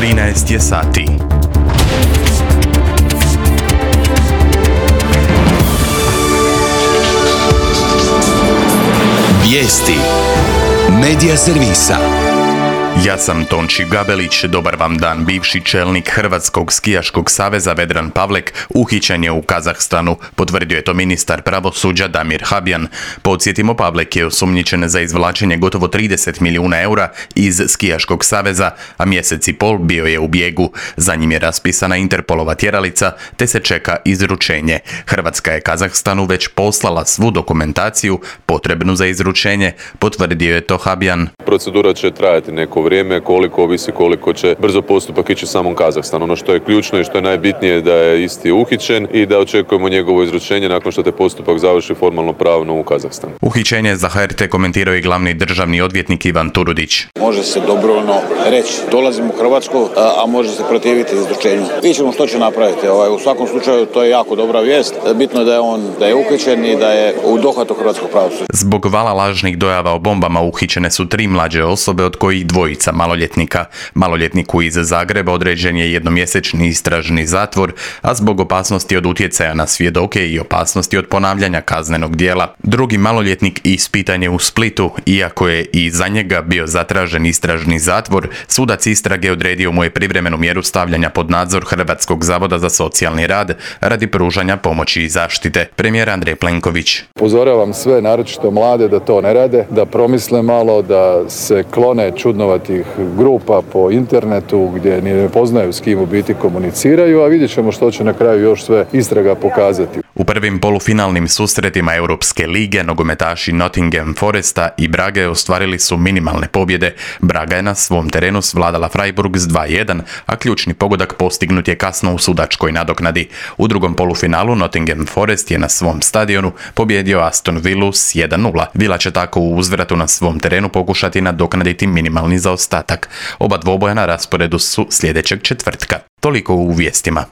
13 je sati. Vijesti Medija servisa. Ja sam Tonči Gabelić, dobar vam dan. Bivši čelnik Hrvatskog skijaškog saveza Vedran Pavlek uhićen je u Kazahstanu, potvrdio je to ministar pravosuđa Damir Habjan. Podsjetimo, Pavlek je osumnjičen za izvlačenje gotovo 30 milijuna eura iz skijaškog saveza, a mjesec i pol bio je u bijegu. Za njim je raspisana Interpolova tjeralica, te se čeka izručenje. Hrvatska je Kazahstanu već poslala svu dokumentaciju potrebnu za izručenje, potvrdio je to Habjan. Procedura će trajati neko vrijeme, koliko ovisi koliko će brzo postupak ići u samom Kazahstanu. Ono što je ključno i što je najbitnije da je isti uhićen i da očekujemo njegovo izručenje nakon što te postupak završi formalno pravno u Kazahstanu. Uhićenje za HRT komentirao i glavni državni odvjetnik Ivan Turudić. Može se dobrovoljno reći dolazim u Hrvatsku, a može se protiviti izručenju. Vidjet ćemo što će napraviti. U svakom slučaju to je jako dobra vijest. Bitno je da je uhićen i da je u dohvatu hrvatskog pravosuđa. Zbog vala lažnih dojava o bombama uhićene su 3 mlađe osobe, od kojih 2 maloljetnika. Maloljetniku iz Zagreba određen je jednomjesečni istražni zatvor, a zbog opasnosti od utjecaja na svjedoke i opasnosti od ponavljanja kaznenog djela. Drugi maloljetnik ispitan je u Splitu, iako je i za njega bio zatražen istražni zatvor, sudac istrage odredio mu je privremenu mjeru stavljanja pod nadzor Hrvatskog zavoda za socijalni rad radi pružanja pomoći i zaštite. Premijer Andrej Plenković. Upozoravam sve, naročito mlade, da to ne rade, da promisle malo, da se klone čudnovatih grupa po internetu gdje ni ne poznaju s kim u biti komuniciraju, a vidjet ćemo što će na kraju još sve istraga pokazati. U prvim polufinalnim susretima Europske lige nogometaši Nottingham Foresta i Brage ostvarili su minimalne pobjede. Braga je na svom terenu svladala Freiburg s 2:1, a ključni pogodak postignut je kasno u sudačkoj nadoknadi. U drugom polufinalu Nottingham Forest je na svom stadionu pobjedio Aston Villu s 1:0. Villa će tako u uzvratu na svom terenu pokušati nadoknaditi minimalni zaostatak. Oba dvoboja na rasporedu su sljedećeg četvrtka. Toliko u vijestima.